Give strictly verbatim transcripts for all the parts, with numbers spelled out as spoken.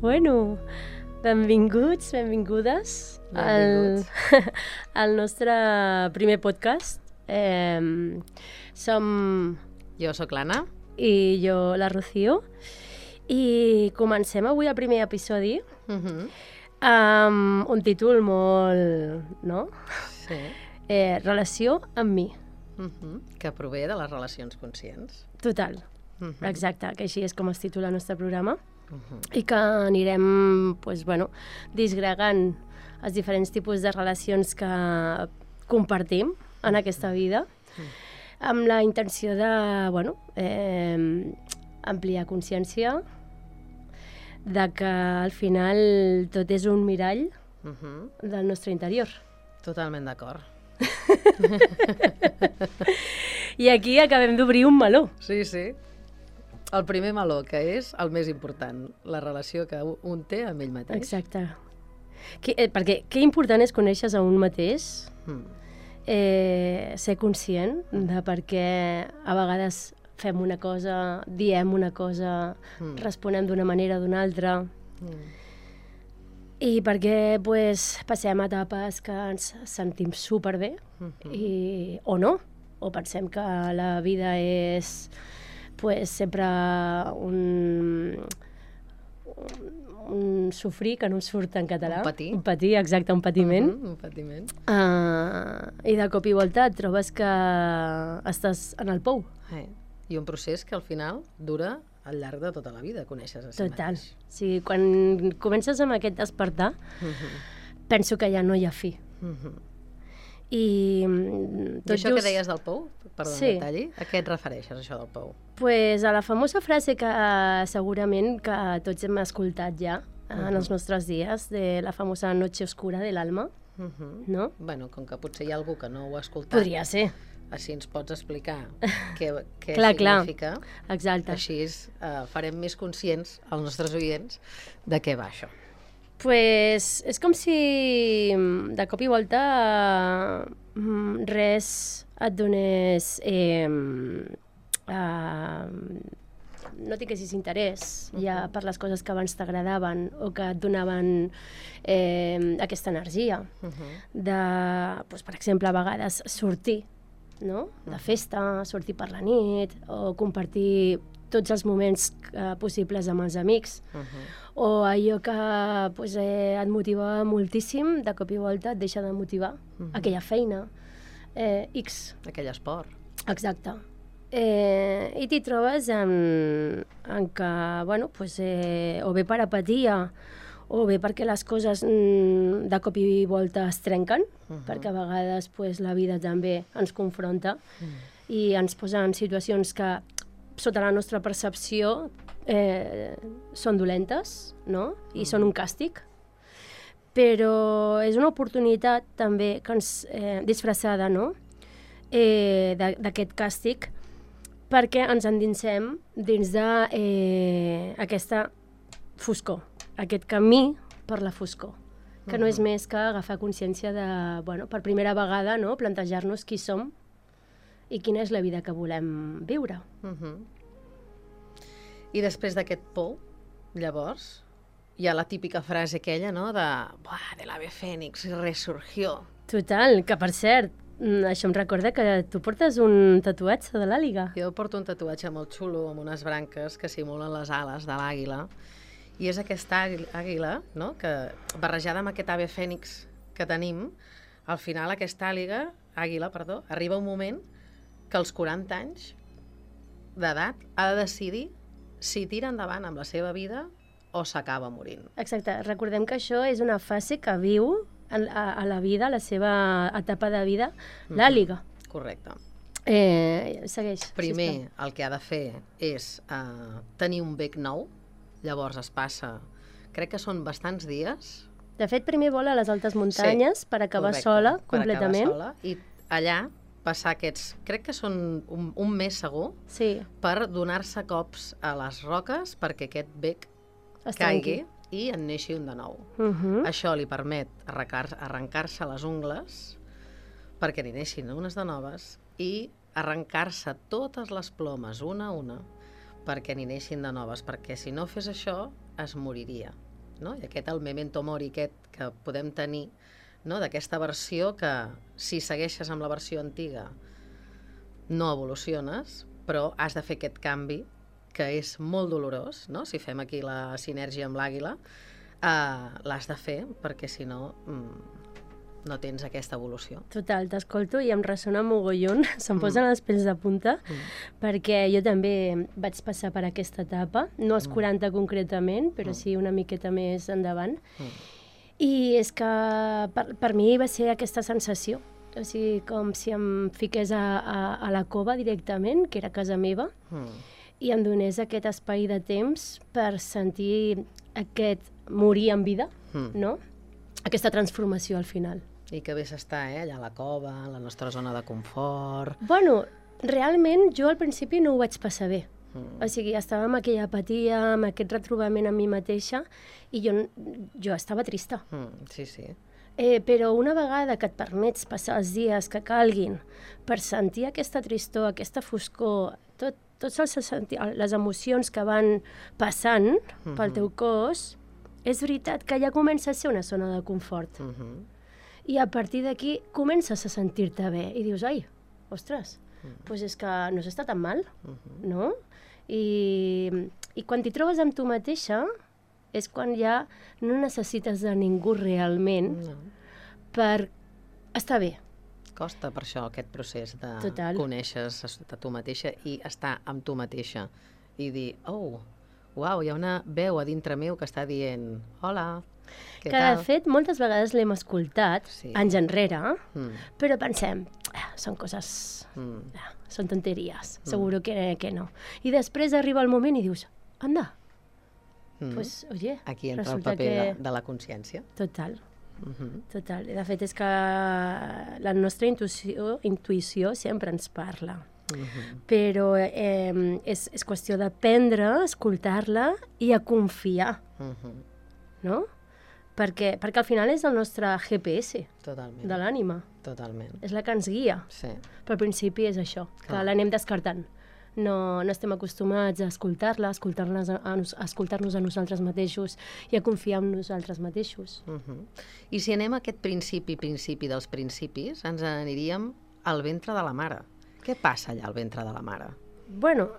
Bueno, benvinguts, benvingudes Benvinguts. al, al nostre primer podcast. Eh, som... Jo sóc l'Anna. I jo, la Rocío. I comencem avui el primer episodi Uh -huh. amb un títol molt... no? Sí. Eh, relació amb mi. Uh -huh. Que prové de les relacions conscients. Total. Uh -huh. Exacte, que així és com es titula el nostre programa. Uh -huh. I que anirem pues, bueno, disgregant els diferents tipus de relacions que compartim en aquesta vida, amb la intenció de bueno, eh, ampliar consciència, de que al final tot és un mirall Uh -huh. del nostre interior. Totalment d'acord. I aquí acabem d'obrir un meló. Sí, sí. El primer meló, que és el més important, la relació que un té amb ell mateix. Exacte. Que, eh, perquè què important és conèixer a un mateix, Mm. eh, ser conscient de per què a vegades fem una cosa, diem una cosa, Mm. responem d'una manera o d'una altra, Mm. i perquè pues, passem etapes que ens sentim superbé, Mm -hmm. i, o no, o pensem que la vida és pues, sempre un, un, un sofrir, que no em surt en català. Un patir. Un patir, exacte, un patiment. Mm -hmm. Un patiment. Uh, I de cop i volta et trobes que estàs en el pou. Eh. I un procés que al final dura al llarg de tota la vida, coneixes a si Total. mateix. O sigui, quan comences amb aquest despertar, Mm -hmm. penso que ja no hi ha fi. Mm -hmm. I, I tot això just, que deies del pou, perdó, Sí. sí. detalli, a què et refereixes, això del pou? Pues, a la famosa frase que uh, segurament que tots hem escoltat ja uh, Mhm. en els nostres dies, de la famosa noche oscura de l'alma, Uh -huh. no? Bueno, com que potser hi ha algú que no ho ha escoltat, Podria ser, així ens pots explicar què, què Clar, clar. significa. exacte. Així eh, farem més conscients als nostres oients de què va això. Pues, és com si mm, de cop i volta mm, res et donés... Eh, eh, no tinguessis interès ja Mhm. per les coses que abans t'agradaven o que et donaven eh, aquesta energia. Uh -huh. De, doncs, per exemple, a vegades sortir, no? De Mhm. festa, sortir per la nit, o compartir tots els moments eh, possibles amb els amics, Uh -huh. o allò que pues, eh, et motivava moltíssim, de cop i volta et deixa de motivar, Mhm. aquella feina, eh, X, Aquell esport. exacte. Eh, I t'hi trobes en, en que, bueno, pues, eh, o bé per apatia, o bé perquè les coses mm, de cop i volta es trenquen, Uh -huh. perquè a vegades pues, la vida també ens confronta Mm. i ens posa en situacions que, sota la nostra percepció, eh, són dolentes, no? I Mm. són un càstig. Però és una oportunitat també que ens, eh, disfressada, no? Eh, de- d'aquest càstig, perquè ens endinsem dins de eh, aquesta foscor, aquest camí per la foscor, que no és més que agafar consciència de, bueno, per primera vegada, no?, plantejar-nos qui som i quina és la vida que volem viure. Uh -huh. I després d'aquest pou, llavors, hi ha la típica frase aquella, no?, de «Buah, de l'ave Fénix resurgió». Total, que per cert, mm, això em recorda que tu portes un tatuatge de l'àliga. Jo porto un tatuatge molt xulo amb unes branques que simulen les ales de l'àguila, i és aquesta àguila- àguila, no?, que barrejada amb aquest ave Fènix que tenim, al final aquesta àliga, àguila, perdó, arriba un moment que als quaranta anys d'edat ha de decidir si tira endavant amb la seva vida o s'acaba morint. Exacte, recordem que això és una fase que viu en- a, a la vida, a la seva etapa de vida, l'àliga. Correcte. Eh, segueix. Primer, sisplau. el que ha de fer és eh, tenir un bec nou, llavors es passa, crec que són bastants dies. De fet, primer vola a les altes muntanyes per acabar Correcte, sola, per completament. acabar sola, i allà passar aquests, crec que són un, un mes segur, Sí, per donar-se cops a les roques perquè aquest bec es caigui trenqui. i en neixi un de nou. Uh -huh. Això li permet arrencar- arrencar-se les ungles perquè n'hi neixin unes de noves i arrencar-se totes les plomes una a una perquè n'hi neixin de noves, perquè si no fes això es moriria, no? I aquest el memento mori aquest que podem tenir, no? D'aquesta versió que si segueixes amb la versió antiga no evoluciones, però has de fer aquest canvi que és molt dolorós, no? Si fem aquí la sinergia amb l'àguila, eh, l'has de fer perquè si no mm, no tens aquesta evolució. Total, t'escolto i em ressona mogollon, se'm posen mm. els pèls de punta, mm. perquè jo també vaig passar per aquesta etapa, no als mm. quaranta concretament, però mm. sí una miqueta més endavant. Mm. I és que per, per mi va ser aquesta sensació, o sigui, com si em fiqués a, a, a la cova directament, que era casa meva, mm. i em donés aquest espai de temps per sentir aquest morir en vida, mm. no? Aquesta transformació al final. I que bé s'està, eh? Allà a la cova, a la nostra zona de confort... Bueno, realment jo al principi no ho vaig passar bé. Mm. O sigui, estava amb aquella apatia, amb aquest retrobament amb mi mateixa, i jo, jo estava trista. Mm, sí, sí. Eh, però una vegada que et permets passar els dies que calguin per sentir aquesta tristor, aquesta foscor, tot, tots els, les emocions que van passant mm-hmm. pel teu cos, és veritat que ja comença a ser una zona de confort. Mm-hmm. I a partir d'aquí comences a sentir-te bé i dius, ai, ostres, mm-hmm. doncs és que no s'està tan mal, mm-hmm. no? I, i quan t'hi trobes amb tu mateixa és quan ja no necessites de ningú realment no. per estar bé. Costa per això aquest procés de Total. Conèixer a tu mateixa i estar amb tu mateixa i dir, oh, uau, hi ha una veu a dintre meu que està dient hola, què que tal? De fet moltes vegades l'hem escoltat sí. anys enrere, mm. però pensem, ah, són coses, mm. ah, són tonteries, mm. seguro que, que no. I després arriba el moment i dius, anda, mm. pues, oye, aquí entra el paper que... de, de la consciència. Total. Uh-huh. Total. De fet, és que la nostra intuïció, intuïció sempre ens parla. Uh-huh. Però eh, és, és qüestió d'aprendre, escoltar-la i a confiar. Uh-huh. No? Perquè, perquè al final és el nostre G P S Totalment. De l'ànima. Totalment. És la que ens guia. Sí. Però al principi és això, que Clar. L'anem descartant. No, no estem acostumats a escoltar-la, a escoltar-nos a, a escoltar-nos a nosaltres mateixos i a confiar en nosaltres mateixos. Uh-huh. I si anem a aquest principi, principi dels principis, ens aniríem al ventre de la mare. Què passa allà al ventre de la mare? Bueno,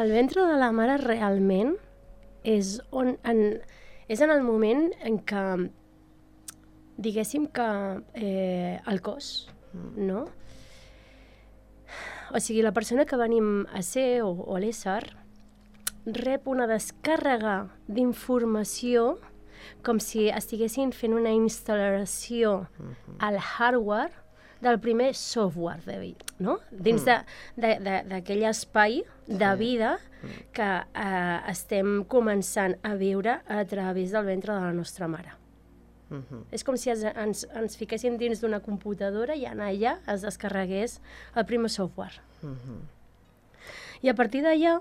el ventre de la mare realment és, on, en, és en el moment en què, diguéssim que eh, el cos, mm. no? O sigui, la persona que venim a ser, o, o a l'ésser, rep una descàrrega d'informació com si estiguessin fent una instal·lació uh-huh. al hardware del primer software de vida, no? Dins mm. d'aquell espai de vida sí. que eh, estem començant a viure a través del ventre de la nostra mare. Uh-huh. És com si ens, ens, ens fiquéssim dins d'una computadora i en allà es descarregués el primer software. Uh-huh. I a partir d'allà,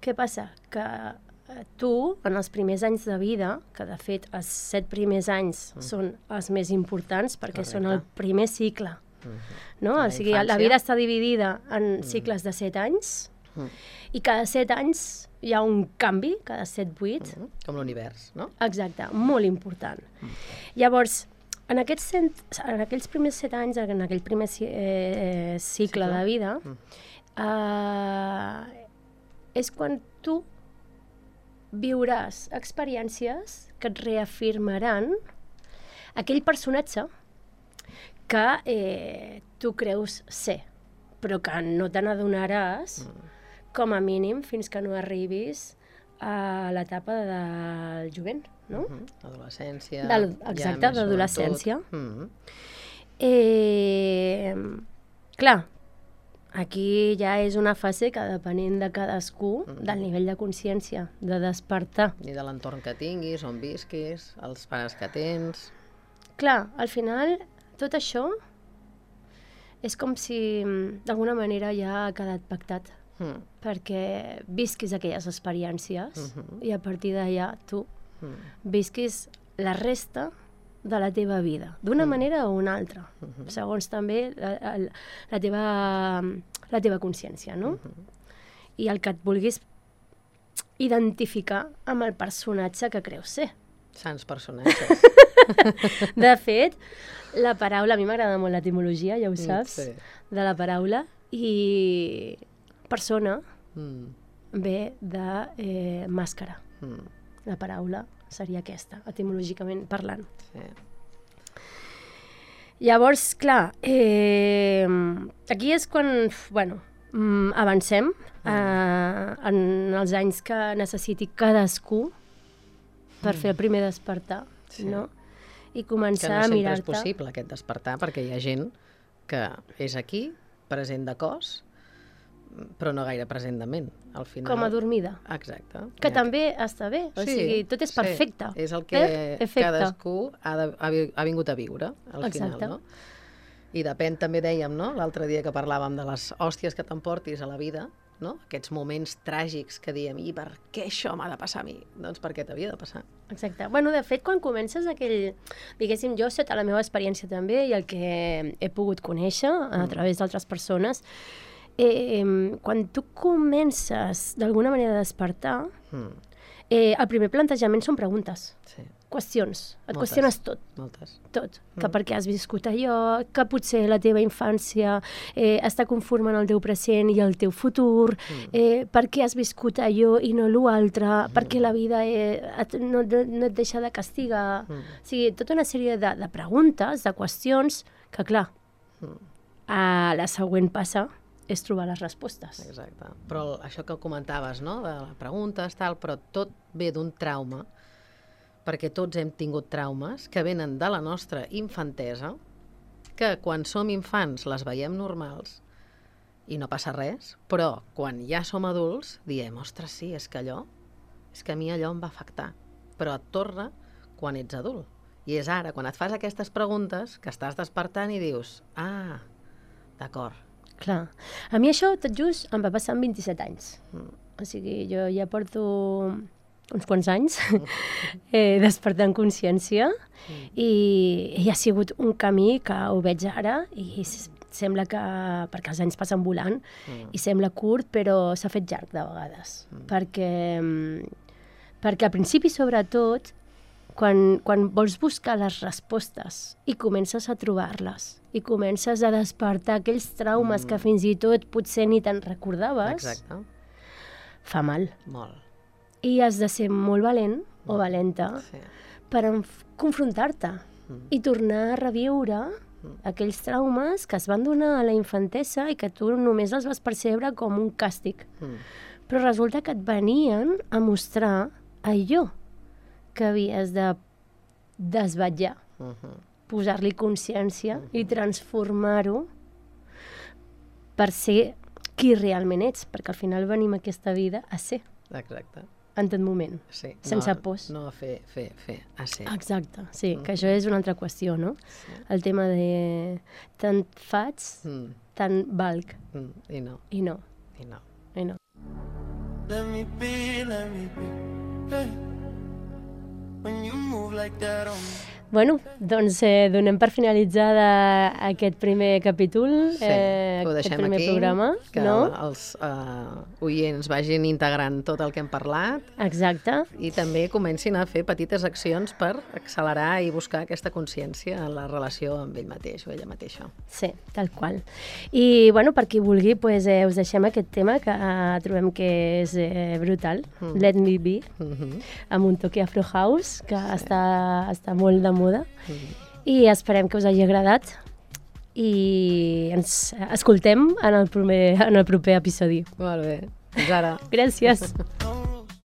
què passa? Que eh, tu, en els primers anys de vida, que de fet els set primers anys uh-huh. són els més importants perquè Correcte. Són el primer cicle, uh-huh. no? O sigui, la vida està dividida en uh-huh. cicles de set anys uh-huh. i cada set anys hi ha un canvi, cada set vuit. Uh-huh. Com l'univers, no? Exacte, molt important. Uh-huh. Llavors, en aquests, cent, en aquells primers set anys, en aquell primer eh, cicle, cicle de vida, uh-huh. eh, és quan tu viuràs experiències que et reafirmaran aquell personatge que eh, tu creus ser, però que no te n'adonaràs uh-huh. com a mínim fins que no arribis a l'etapa del jovent, no? Uh-huh. Adolescència. Del, exacte, ja d'adolescència. Uh-huh. eh, clar, aquí ja és una fase que depenent de cadascú, uh-huh. del nivell de consciència, de despertar. I de l'entorn que tinguis, on visquis, els pares que tens... Clar, al final, tot això és com si d'alguna manera ja ha quedat pactat. Mm. perquè visquis aquelles experiències uh-huh. i a partir d'allà tu mm. visquis la resta de la teva vida, d'una mm. manera o una altra, uh-huh. segons també la, la, teva, la teva consciència, no? Uh-huh. I el que et vulguis identificar amb el personatge que creus ser. Sants personatges. De fet, la paraula, a mi m'agrada molt l'etimologia, ja ho saps, Sí. de la paraula, i persona Mm. ve de eh, màscara. Mm. La paraula seria aquesta, etimològicament parlant. Sí. Llavors, clar, eh, aquí és quan, bueno, mm, avancem eh, en els anys que necessiti cadascú per fer el primer despertar, Sí. no? I Que començar no a sempre és mirar-te. possible aquest despertar, perquè hi ha gent que és aquí, present de cos, però no gaire present de ment, al final. Com adormida. Exacte. Que Hi ha- també està bé, o Sí, sigui, tot és sí. perfecte. És el que Eh? Efecte. cadascú ha, de, ha, vi- ha vingut a viure, al Exacte. final, no? I depèn, també dèiem, no?, l'altre dia que parlàvem de les hòsties que t'emportis a la vida, no?, aquests moments tràgics que diem, i per què això m'ha de passar a mi? Doncs perquè t'havia de passar. Exacte. Bueno, de fet, quan comences aquell... Diguéssim, jo, sota la meva experiència també, i el que he pogut conèixer a través d'altres persones, eh, quan tu comences d'alguna manera a despertar, Mm. eh, el primer plantejament són preguntes, Sí, qüestions. Et Moltes. qüestiones tot, moltes. tot. Que per què has viscut allò, que potser la teva infància eh, està conformant el teu present i el teu futur, eh, per què has viscut allò i no l'altre, per què la vida eh, et, no, no, no et deixa de castigar. Mm. O sigui, tota una sèrie de, de preguntes, de qüestions, que clar, a la següent passa és trobar les respostes. Exacte. Però el- això que comentaves, no?, de la preguntes, tal, però tot ve d'un trauma, perquè tots hem tingut traumes que venen de la nostra infantesa, que quan som infants les veiem normals i no passa res, però quan ja som adults diem, ostres, sí, és que allò, és que a mi allò em va afectar. Però et torna quan ets adult. I és ara, quan et fas aquestes preguntes, que estàs despertant i dius, ah, d'acord. Clar. A mi això, tot just, em va passar amb vint-i-set anys. O sigui, jo ja porto uns quants anys eh, despertant consciència i, i ha sigut un camí que ho veig ara i s- sembla que, perquè els anys passen volant, i sembla curt, però s'ha fet llarg de vegades. Perquè, mm, perquè al principi, sobretot, quan, quan vols buscar les respostes i comences a trobar-les i comences a despertar aquells traumes que fins i tot potser ni te'n recordaves, Exacte. fa mal. Molt. I has de ser molt valent o valenta Sí. per enf- confrontar-te i tornar a reviure aquells traumes que es van donar a la infantesa i que tu només els vas percebre com un càstig. Mm. Però resulta que et venien a mostrar allò que havies de desvetllar, Mhm. posar-li consciència i transformar-ho per ser qui realment ets, perquè al final venim a aquesta vida a ser, Exacte. en tot moment. Sí. Sense no, pors. No a fer, fer, fer, a ser. Exacte, sí, que això és una altra qüestió, no? El tema de tant faig, Mm. tant valc, Mm. I no, i no, i no. i no. Let me be, let me be. Hey. When you move like that on me. Bueno, doncs eh, donem per finalitzada aquest primer capítol, Sí, eh, ho aquest deixem primer aquí, programa, que no? els uh, oients vagin integrant tot el que hem parlat Exacte. i també comencin a fer petites accions per accelerar i buscar aquesta consciència en la relació amb ell mateix o ella mateixa. Sí, tal qual. I, bueno, per qui vulgui, pues, eh, us deixem aquest tema que eh, trobem que és eh, brutal, mm. Let Me Be, Mm -hmm. amb un toque Afro House, que sí. està, està molt de moda. Mm. I esperem que us hagi agradat i ens escoltem en el, primer, en el proper episodi. Molt bé. Fins ara. Gràcies. No